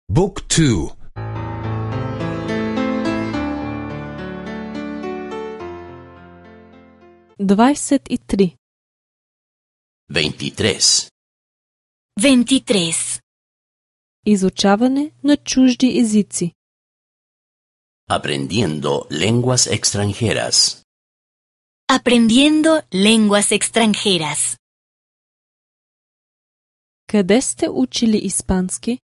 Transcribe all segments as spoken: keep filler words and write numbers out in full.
Book two. двадесет и три. veintitrés. veintitrés. Изучаване на чужди езици. Aprendiendo lenguas extranjeras. Aprendiendo lenguas extranjeras. Къде сте учили испански?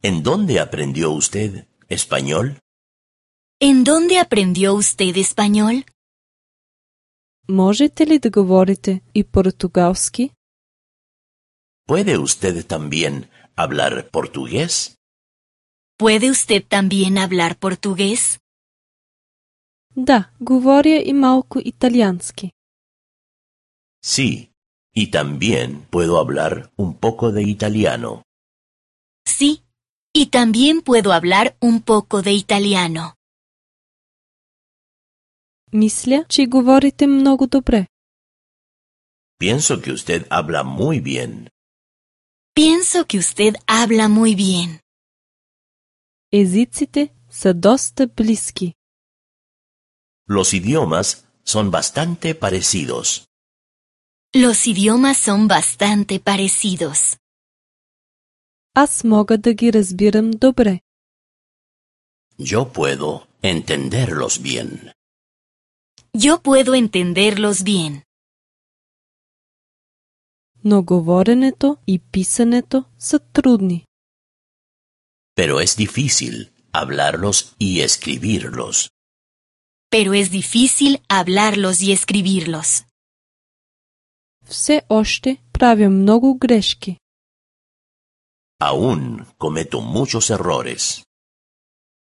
¿En dónde aprendió usted español? ¿En dónde aprendió usted español? Можете ли да говорите и португалски? ¿Puede usted también hablar portugués? ¿Puede usted también hablar portugués? Да, говоря и малко италиански. Sí, y también puedo hablar un poco de italiano. Sí, y también puedo hablar un poco de italiano. Мисля, че говорите много добре. Pienso que usted habla muy bien. Pienso que usted habla muy bien. Езиците са доста близки. Los idiomas son bastante parecidos. Los idiomas son bastante parecidos. Аз мога да ги разбирам добре. Yo puedo entenderlos bien. Yo puedo entenderlos bien. Но говоренето и писането са трудни. Pero es difícil hablarlos y escribirlos. Pero es difícil hablarlos y escribirlos. Все още правя много грешки. Aún cometo muchos errores.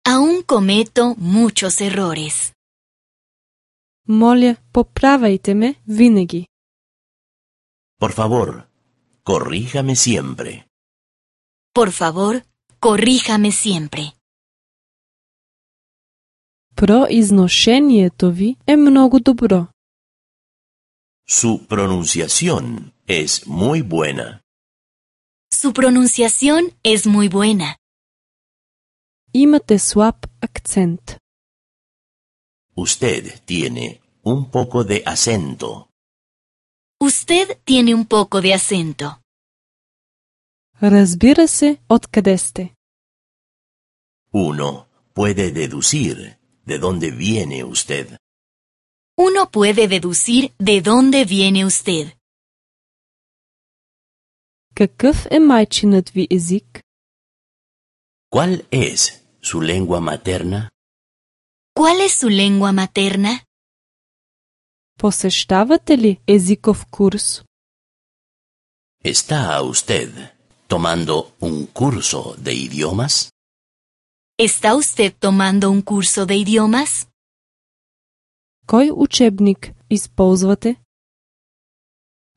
Aún cometo muchos errores. Моля, поправяйте ме винаги. Por favor, corríjame siempre. Por favor, corríjame siempre. Произношението ви е много добро. Su pronunciación es muy buena. Su pronunciación es muy buena. Имате слаб акцент. Usted tiene un poco de acento. Usted tiene un poco de acento. Разбира се, откъде сте. Uno puede deducir de dónde viene usted. Uno puede deducir de dónde viene usted. Какъв е майчинът ви език? ¿Cuál es su lengua materna? ¿Cuál es su lengua materna? Посещавате ли езиков курс? ¿Está usted tomando un curso de idiomas? ¿Está usted tomando un curso de idiomas? Кой учебник използвате?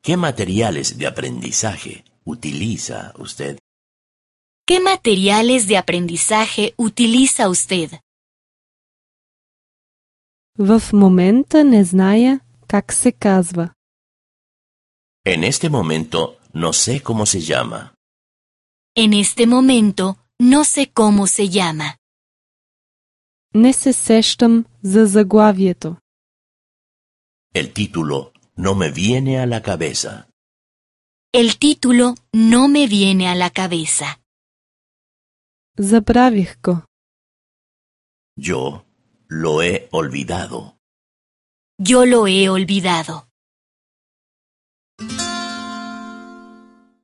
¿Qué materiales de aprendizaje utiliza usted? ¿Qué materiales de aprendizaje utiliza usted? В момента не зная как се казва. En este momento no sé cómo se llama. En este momento no sé cómo se llama. Не се сещам за заглавието. El título no me viene a la cabeza. El título no me viene a la cabeza. Забравих го. Yo lo he olvidado. Yo lo he olvidado.